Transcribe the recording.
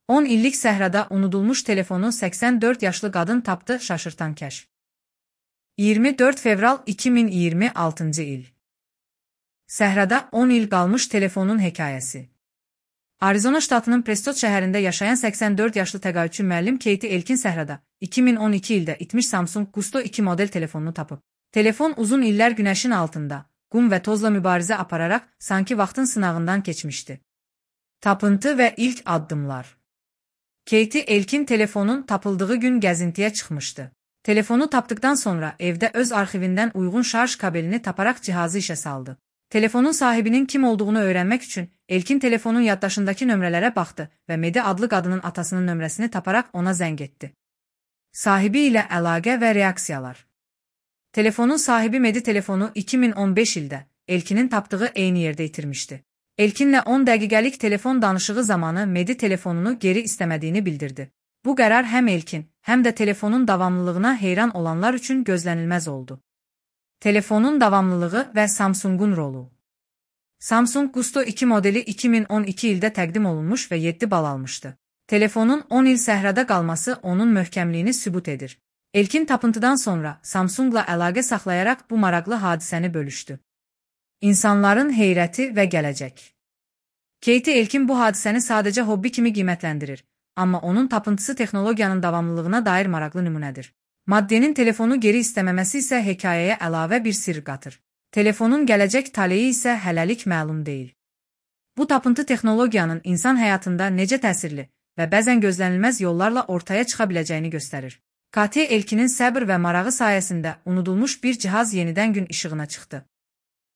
10 illik səhrada unudulmuş telefonu 84 yaşlı qadın tapdı, şaşırtan kəşf. 24 fevral 2026 il. Səhrada 10 il qalmış telefonun hekayəsi. Arizona ştatının Preston şəhərində yaşayan 84 yaşlı təqaüdçü müəllim Katie Elkin səhrada 2012 ildə itmiş Samsung Gusto 2 model telefonunu tapıb. Telefon uzun illər günəşin altında, qum və tozla mübarizə apararaq sanki vaxtın sınağından keçmişdi. Tapıntı və ilk addımlar. Katie Elkin telefonun tapıldığı gün gəzintiyə çıxmışdı. Telefonu tapdıktan sonra evdə öz arxivindən uyğun şarj kabelini taparaq cihazı işə saldı. Telefonun sahibinin kim olduğunu öyrənmək üçün Elkin telefonun yaddaşındakı nömrələrə baxdı və Medi adlı qadının atasının nömrəsini taparaq ona zəng etdi. Sahibi ilə əlaqə və reaksiyalar. Telefonun sahibi Medi telefonu 2015 ildə Elkinin tapdığı eyni yerdə itirmişdi. Elkinlə 10 dəqiqəlik telefon danışığı zamanı Medi telefonunu geri istəmədiyini bildirdi. Bu qərar həm Elkin, həm də telefonun davamlılığına heyran olanlar üçün gözlənilməz oldu. Telefonun davamlılığı və Samsungun rolu. Samsung Gusto 2 modeli 2012 ildə təqdim olunmuş və 7 bal almışdı. Telefonun 10 il səhrada qalması onun möhkəmliyini sübut edir. Elkin tapıntıdan sonra Samsungla əlaqə saxlayaraq bu maraqlı hadisəni bölüşdü. İnsanların heyrəti və gələcək. Katie Elkin bu hadisəni sadəcə hobbi kimi qiymətləndirir, amma onun tapıntısı texnologiyanın davamlılığına dair maraqlı nümunədir. Maddenin telefonu geri istəməməsi isə hekayəyə əlavə bir sirr qatır. Telefonun gələcək taleyi isə hələlik məlum deyil. Bu tapıntı texnologiyanın insan həyatında necə təsirli və bəzən gözlənilməz yollarla ortaya çıxa biləcəyini göstərir. Katie Elkinin səbr və marağı sayəsində unudulmuş bir cihaz yenidən gün işığına çıxdı.